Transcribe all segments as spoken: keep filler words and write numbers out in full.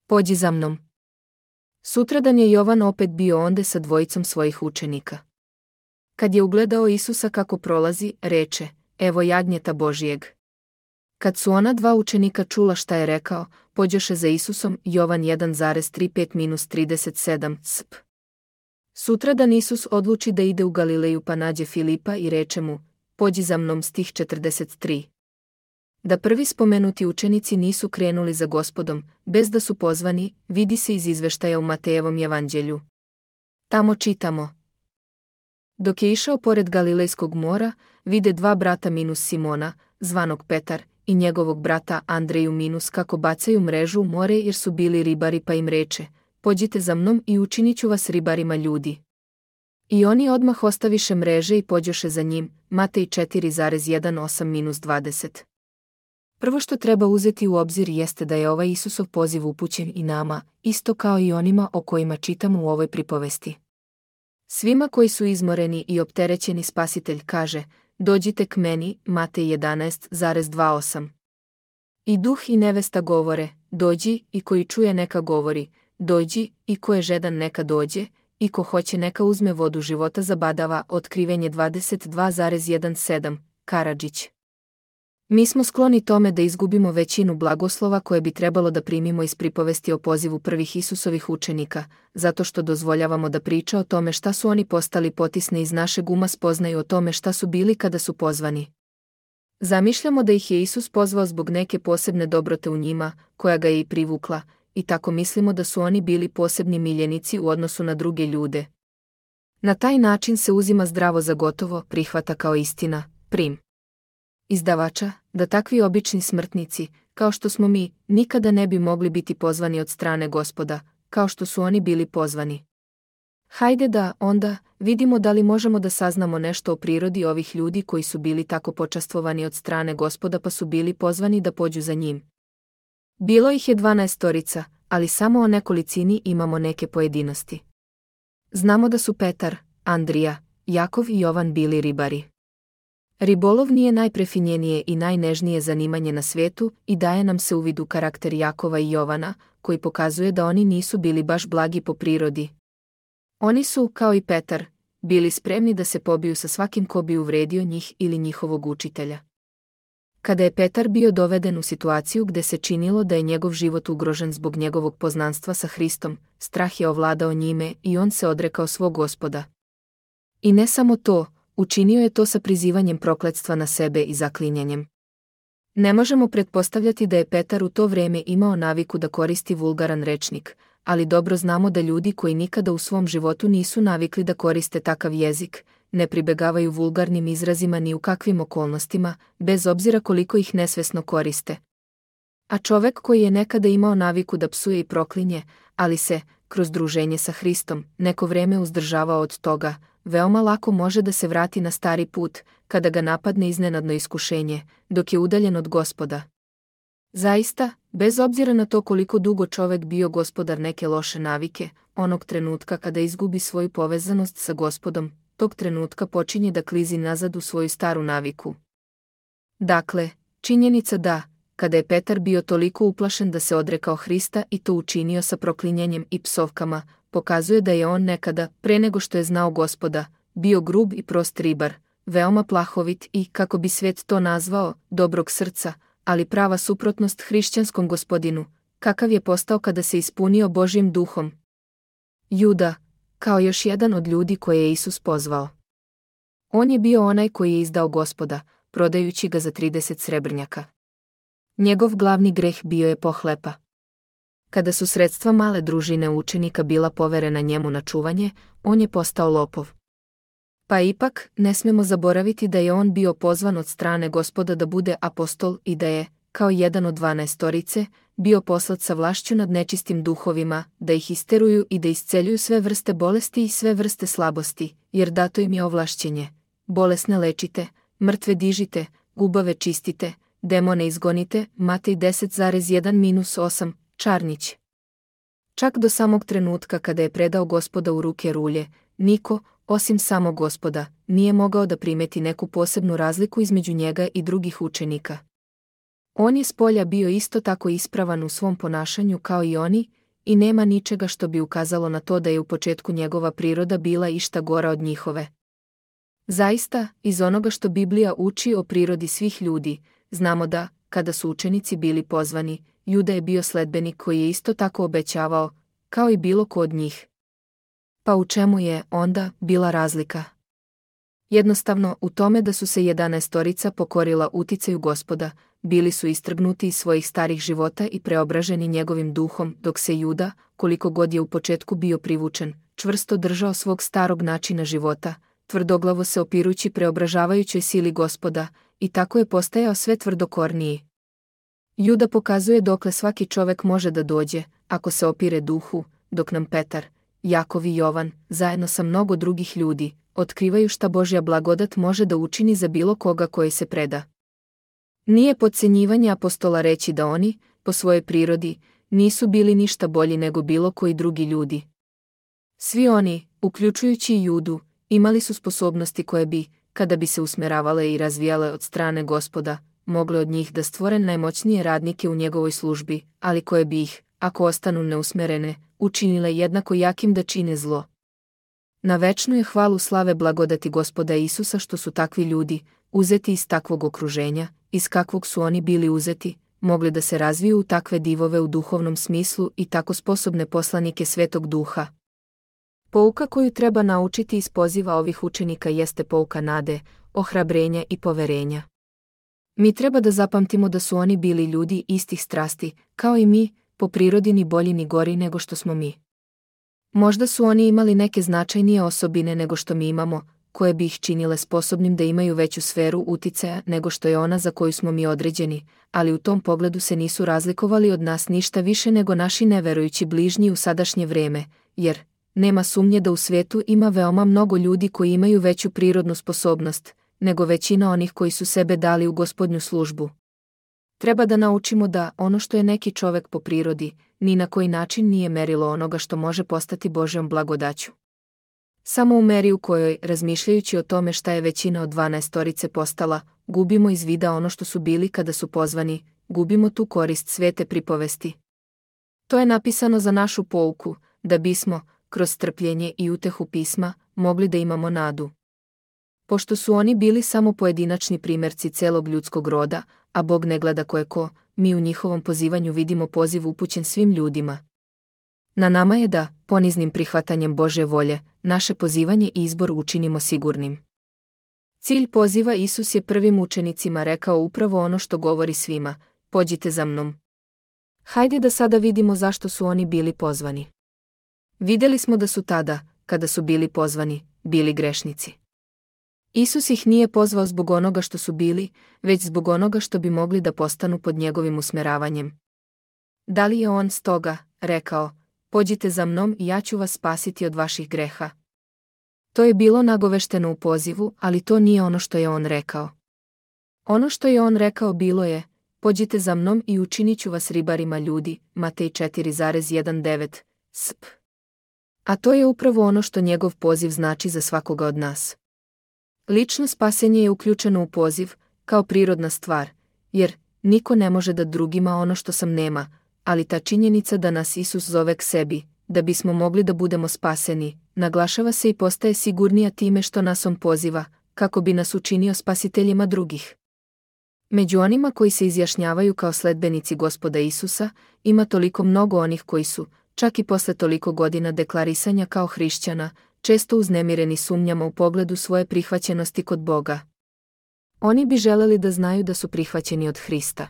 Pođi za mnom. Sutradan je Jovan opet bio onde sa dvojicom svojih učenika. Kad je ugledao Isusa kako prolazi, reče, evo jagnjeta Božijeg. Kad su ona dva učenika čula šta je rekao, pođoše za Isusom. Jovan jedan tri pet trideset sedam sp. Sutradan Isus odluči da ide u Galileju pa nađe Filipa i reče mu, pođi za mnom, stih četrdeset tri. Da prvi spomenuti učenici nisu krenuli za Gospodom, bez da su pozvani, vidi se iz izveštaja u Matejevom evanđelju. Tamo čitamo. Dok je išao pored Galilejskog mora, vide dva brata minus Simona, zvanog Petar, i njegovog brata Andreju minus kako bacaju mrežu u more jer su bili ribari, pa im reče, pođite za mnom i učinit ću vas ribarima ljudi. I oni odmah ostaviše mreže i pođoše za njim. Matej četiri osam dvadeset. Prvo što treba uzeti u obzir jeste da je ovaj Isusov poziv upućen i nama, isto kao i onima o kojima čitamo u ovoj pripovesti. Svima koji su izmoreni i opterećeni Spasitelj kaže, dođite k meni, Matej jedanaest dvadeset osam. I duh i nevesta govore, dođi, i koji čuje neka govori, dođi, i ko je žedan neka dođe, i ko hoće neka uzme vodu života zabadava. Otkrivenje dvadeset dva sedamnaest. Karadžić. Mi smo skloni tome da izgubimo većinu blagoslova koje bi trebalo da primimo iz pripovesti o pozivu prvih Isusovih učenika, zato što dozvoljavamo da priča o tome šta su oni postali potisne iz našeg uma spoznaju o tome šta su bili kada su pozvani. Zamišljamo da ih je Isus pozvao zbog neke posebne dobrote u njima, koja ga je i privukla, i tako mislimo da su oni bili posebni miljenici u odnosu na druge ljude. Na taj način se uzima zdravo za gotovo, prihvata kao istina, prim. Izdavača, da takvi obični smrtnici, kao što smo mi, nikada ne bi mogli biti pozvani od strane Gospoda, kao što su oni bili pozvani. Hajde da, onda, vidimo da li možemo da saznamo nešto o prirodi ovih ljudi koji su bili tako počastvovani od strane Gospoda pa su bili pozvani da pođu za njim. Bilo ih je dvanaestorica, ali samo o nekolicini imamo neke pojedinosti. Znamo da su Petar, Andrija, Jakov i Jovan bili ribari. Ribolov nije najprefinjenije i najnežnije zanimanje na svijetu i daje nam se uvid u karakter Jakova i Jovana, koji pokazuje da oni nisu bili baš blagi po prirodi. Oni su, kao i Petar, bili spremni da se pobiju sa svakim ko bi uvredio njih ili njihovog učitelja. Kada je Petar bio doveden u situaciju gde se činilo da je njegov život ugrožen zbog njegovog poznanstva sa Hristom, strah je ovladao njime i on se odrekao svog Gospoda. I ne samo to, učinio je to sa prizivanjem prokletstva na sebe i zaklinjanjem. Ne možemo pretpostavljati da je Petar u to vreme imao naviku da koristi vulgaran rečnik, ali dobro znamo da ljudi koji nikada u svom životu nisu navikli da koriste takav jezik, ne pribegavaju vulgarnim izrazima ni u kakvim okolnostima, bez obzira koliko ih nesvesno koriste. A čovek koji je nekada imao naviku da psuje i proklinje, ali se, kroz druženje sa Hristom, neko vreme uzdržavao od toga, veoma lako može da se vrati na stari put, kada ga napadne iznenadno iskušenje, dok je udaljen od Gospoda. Zaista, bez obzira na to koliko dugo čovek bio gospodar neke loše navike, onog trenutka kada izgubi svoju povezanost sa Gospodom, tog trenutka počinje da klizi nazad u svoju staru naviku. Dakle, činjenica da, kada je Petar bio toliko uplašen da se odrekao Hrista i to učinio sa proklinjanjem i psovkama, pokazuje da je on nekada, pre nego što je znao Gospoda, bio grub i prost ribar, veoma plahovit i, kako bi svet to nazvao, dobrog srca, ali prava suprotnost hrišćanskom Gospodinu, kakav je postao kada se ispunio Božjim duhom. Juda, kao još jedan od ljudi koje je Isus pozvao. On je bio onaj koji je izdao Gospoda, prodajući ga za trideset srebrnjaka. Njegov glavni greh bio je pohlepa. Kada su sredstva male družine učenika bila poverena njemu na čuvanje, on je postao lopov. Pa ipak, ne smemo zaboraviti da je on bio pozvan od strane Gospoda da bude apostol i da je, kao jedan od dvanaestorice, bio poslat sa vlašću nad nečistim duhovima, da ih isteruju i da isceljuju sve vrste bolesti i sve vrste slabosti, jer dato im je ovlašćenje. Bolesne lečite, mrtve dižite, gubave čistite, demone izgonite, Matej deset jedan osam, Čarnić. Čak do samog trenutka kada je predao Gospoda u ruke rulje, niko, osim samog Gospoda, nije mogao da primeti neku posebnu razliku između njega i drugih učenika. On je s polja bio isto tako ispravan u svom ponašanju kao i oni, i nema ničega što bi ukazalo na to da je u početku njegova priroda bila išta gora od njihove. Zaista, iz onoga što Biblija uči o prirodi svih ljudi, znamo da, kada su učenici bili pozvani, Juda je bio sledbenik koji je isto tako obećavao, kao i bilo ko od njih. Pa u čemu je, onda, bila razlika? Jednostavno, u tome da su se jedanaestorica pokorila uticaju Gospoda, bili su istrgnuti iz svojih starih života i preobraženi njegovim duhom, dok se Juda, koliko god je u početku bio privučen, čvrsto držao svog starog načina života, tvrdoglavo se opirući preobražavajućoj sili Gospoda, i tako je postajao sve tvrdokorniji. Juda pokazuje dokle svaki čovek može da dođe, ako se opire duhu, dok nam Petar, Jakov i Jovan, zajedno sa mnogo drugih ljudi, otkrivaju šta Božja blagodat može da učini za bilo koga koji se preda. Nije potcenjivanje apostola reći da oni, po svojoj prirodi, nisu bili ništa bolji nego bilo koji drugi ljudi. Svi oni, uključujući i Judu, imali su sposobnosti koje bi, kada bi se usmeravale i razvijale od strane Gospoda, mogle od njih da stvore najmoćnije radnike u njegovoj službi, ali koje bi ih, ako ostanu neusmerene, učinile jednako jakim da čine zlo. Na večnu je hvalu slave blagodati Gospoda Isusa što su takvi ljudi, uzeti iz takvog okruženja, iz kakvog su oni bili uzeti, mogli da se razviju u takve divove u duhovnom smislu i tako sposobne poslanike Svetog Duha. Pouka koju treba naučiti iz poziva ovih učenika jeste pouka nade, ohrabrenja i poverenja. Mi treba da zapamtimo da su oni bili ljudi istih strasti, kao i mi, po prirodi ni bolji ni gori nego što smo mi. Možda su oni imali neke značajnije osobine nego što mi imamo, koje bi ih činile sposobnim da imaju veću sferu uticaja nego što je ona za koju smo mi određeni, ali u tom pogledu se nisu razlikovali od nas ništa više nego naši neverujući bližnji u sadašnje vreme, jer nema sumnje da u svijetu ima veoma mnogo ljudi koji imaju veću prirodnu sposobnost, nego većina onih koji su sebe dali u Gospodnju službu. Treba da naučimo da ono što je neki čovek po prirodi, ni na koji način nije merilo onoga što može postati Božjom blagodaću. Samo u meri u kojoj, razmišljajući o tome šta je većina od dvanaestorice postala, gubimo iz vida ono što su bili kada su pozvani, gubimo tu korist svete pripovesti. To je napisano za našu pouku, da bismo, kroz strpljenje i utehu pisma, mogli da imamo nadu. Pošto su oni bili samo pojedinačni primjerci celog ljudskog roda, a Bog ne gleda ko je ko, mi u njihovom pozivanju vidimo poziv upućen svim ljudima. Na nama je da, poniznim prihvatanjem Božje volje, naše pozivanje i izbor učinimo sigurnim. Cilj poziva Isus je prvim učenicima rekao upravo ono što govori svima, pođite za mnom. Hajde da sada vidimo zašto su oni bili pozvani. Vidjeli smo da su tada, kada su bili pozvani, bili grešnici. Isus ih nije pozvao zbog onoga što su bili, već zbog onoga što bi mogli da postanu pod njegovim usmeravanjem. Da li je on stoga rekao, pođite za mnom i ja ću vas spasiti od vaših greha? To je bilo nagovešteno u pozivu, ali to nije ono što je on rekao. Ono što je on rekao bilo je, pođite za mnom i učinit ću vas ribarima ljudi, Matej četiri devet, sp. A to je upravo ono što njegov poziv znači za svakoga od nas. Lično spasenje je uključeno u poziv, kao prirodna stvar, jer niko ne može da drugima ono što sam nema, ali ta činjenica da nas Isus zove k sebi, da bismo mogli da budemo spaseni, naglašava se i postaje sigurnija time što nas on poziva, kako bi nas učinio spasiteljima drugih. Među onima koji se izjašnjavaju kao sledbenici Gospoda Isusa, ima toliko mnogo onih koji su, čak i posle toliko godina deklarisanja kao hrišćana, često uznemireni sumnjama u pogledu svoje prihvaćenosti kod Boga. Oni bi želeli da znaju da su prihvaćeni od Hrista.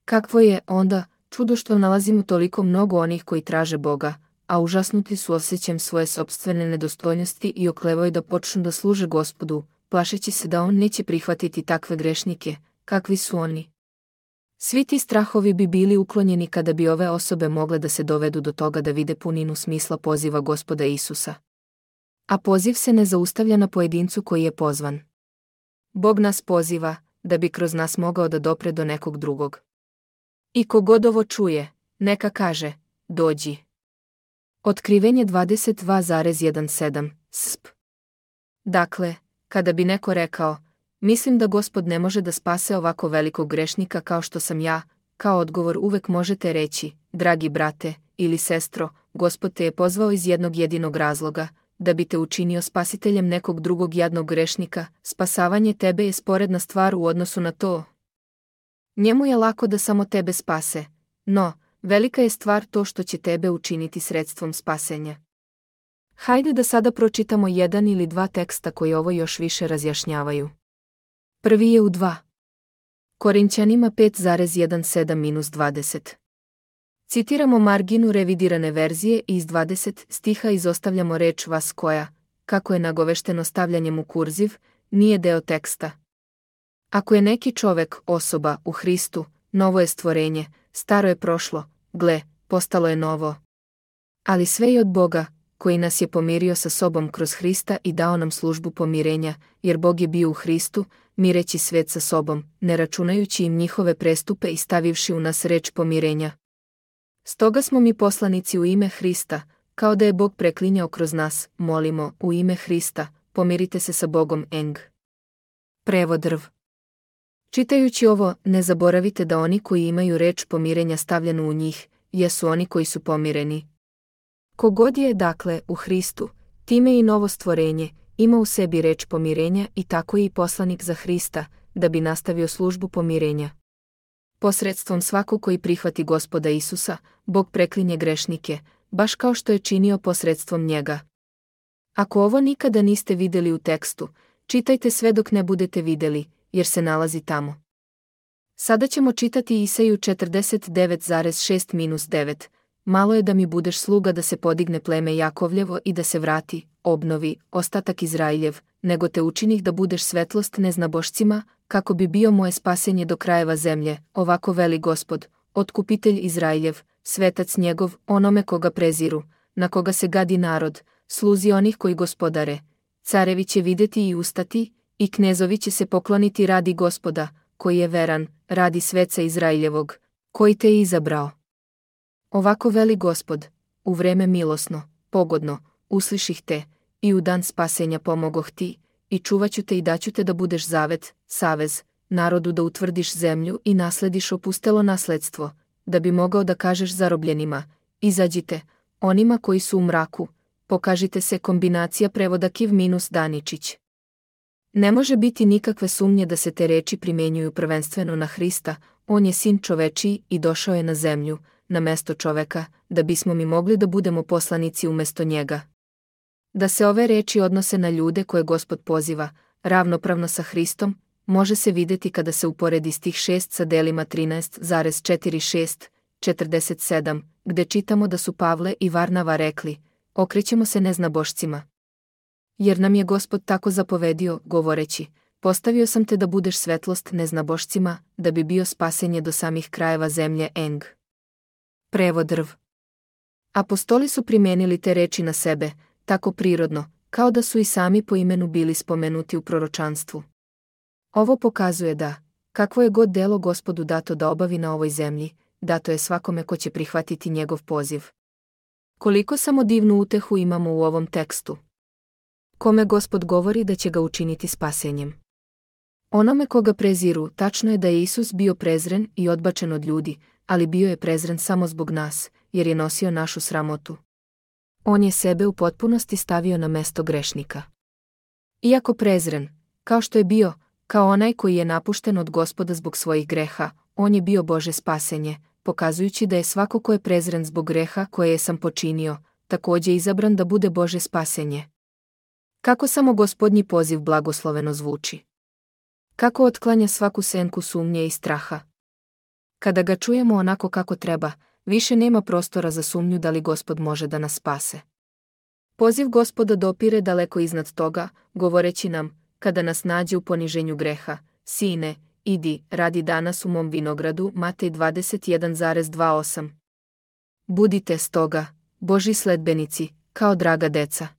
Kakvo je, onda, čudo što nalazimo toliko mnogo onih koji traže Boga, a užasnuti su osjećajem svoje sopstvene nedostojnosti i oklevaju da počnu da služe Gospodu, plašeći se da on neće prihvatiti takve grešnike, kakvi su oni. Svi ti strahovi bi bili uklonjeni kada bi ove osobe mogle da se dovedu do toga da vide puninu smisla poziva Gospoda Isusa. A poziv se ne zaustavlja na pojedincu koji je pozvan. Bog nas poziva, da bi kroz nas mogao da dopre do nekog drugog. I kogod ovo čuje, neka kaže, dođi. Otkrivenje dvadeset dva sedamnaest, sp. Dakle, kada bi neko rekao, Mislim da Gospod ne može da spase ovako velikog grešnika kao što sam ja. Kao odgovor uvek možete reći, dragi brate ili sestro, Gospod te je pozvao iz jednog jedinog razloga, da bi te učinio spasiteljem nekog drugog jadnog grešnika. Spasavanje tebe je sporedna stvar u odnosu na to. Njemu je lako da samo tebe spase, no, velika je stvar to što će tebe učiniti sredstvom spasenja. Hajde da sada pročitamo jedan ili dva teksta koji ovo još više razjašnjavaju. Prvi je u dva. Korinćanima pet sedamnaest dvadeset. Citiramo marginu revidirane verzije i iz dvadeset stiha izostavljamo reč vas koja, kako je nagovešteno stavljanjem u kurziv, nije deo teksta. Ako je neki čovek, osoba, u Hristu, novo je stvorenje, staro je prošlo, gle, postalo je novo. Ali sve je od Boga, koji nas je pomirio sa sobom kroz Hrista i dao nam službu pomirenja, jer Bog je bio u Hristu, mireći svet sa sobom, ne računajući im njihove prestupe i stavivši u nas reč pomirenja. Stoga smo mi poslanici u ime Hrista, kao da je Bog preklinjao kroz nas, molimo, u ime Hrista, pomirite se sa Bogom. Eng. Prevod drv. Čitajući ovo, ne zaboravite da oni koji imaju reč pomirenja stavljenu u njih, jesu oni koji su pomireni. Kogod je, dakle, u Hristu, time i novo stvorenje, ima u sebi reč pomirenja i tako je i poslanik za Hrista, da bi nastavio službu pomirenja. Posredstvom svakog koji prihvati Gospoda Isusa, Bog preklinje grešnike, baš kao što je činio posredstvom njega. Ako ovo nikada niste vidjeli u tekstu, čitajte sve dok ne budete vidjeli, jer se nalazi tamo. Sada ćemo čitati Isaju četrdeset devet šest devet. Malo je da mi budeš sluga da se podigne pleme Jakovljevo i da se vrati, obnovi, ostatak Izrailjev, nego te učinih da budeš svetlost neznabošcima, kako bi bio moje spasenje do krajeva zemlje, ovako veli Gospod, otkupitelj Izrailjev, svetac njegov, onome koga preziru, na koga se gadi narod, sluzi onih koji gospodare. Carevi će vidjeti i ustati, i knezovi će se pokloniti radi Gospoda, koji je veran, radi sveca Izraeljevog, koji te je izabrao. Ovako veli Gospod, u vreme milosno, pogodno, usliših te, i u dan spasenja pomogoh ti, i čuvaću te i daću te da budeš zavet, savez, narodu da utvrdiš zemlju i naslediš opustelo nasledstvo, da bi mogao da kažeš zarobljenima, izađite, onima koji su u mraku, pokažite se. Kombinacija prevoda Kiv minus Daničić. Ne može biti nikakve sumnje da se te reči primjenjuju prvenstveno na Hrista, on je sin čovečiji i došao je na zemlju, na mesto čoveka, da bismo mi mogli da budemo poslanici umesto njega. Da se ove reči odnose na ljude koje Gospod poziva, ravnopravno sa Hristom, može se vidjeti kada se uporedi stih šest sa delima trinaest četrdeset šest četrdeset sedam, gde čitamo da su Pavle i Varnava rekli, okrećemo se neznabošcima. Jer nam je Gospod tako zapovedio, govoreći, postavio sam te da budeš svetlost neznabošcima, da bi bio spasenje do samih krajeva zemlje. Eng. Prevod drv. Apostoli su primijenili te reči na sebe, tako prirodno, kao da su i sami po imenu bili spomenuti u proročanstvu. Ovo pokazuje da, kakvo je god delo Gospodu dato da obavi na ovoj zemlji, dato je svakome ko će prihvatiti njegov poziv. Koliko samo divnu utehu imamo u ovom tekstu. Kome Gospod govori da će ga učiniti spasenjem. Onome koga preziru, tačno je da je Isus bio prezren i odbačen od ljudi, ali bio je prezren samo zbog nas, jer je nosio našu sramotu. On je sebe u potpunosti stavio na mesto grešnika. Iako prezren, kao što je bio, kao onaj koji je napušten od Gospoda zbog svojih greha, on je bio Bože spasenje, pokazujući da je svako ko je prezren zbog greha koje je sam počinio, također izabran da bude Bože spasenje. Kako samo Gospodnji poziv blagosloveno zvuči. Kako otklanja svaku senku sumnje i straha. Kada ga čujemo onako kako treba, više nema prostora za sumnju da li Gospod može da nas spase. Poziv Gospoda dopire daleko iznad toga, govoreći nam, kada nas nađe u poniženju greha, sine, idi, radi danas u mom vinogradu. Matej dvadeset jedan dvadeset osam. Budite stoga, Božji sledbenici, kao draga deca.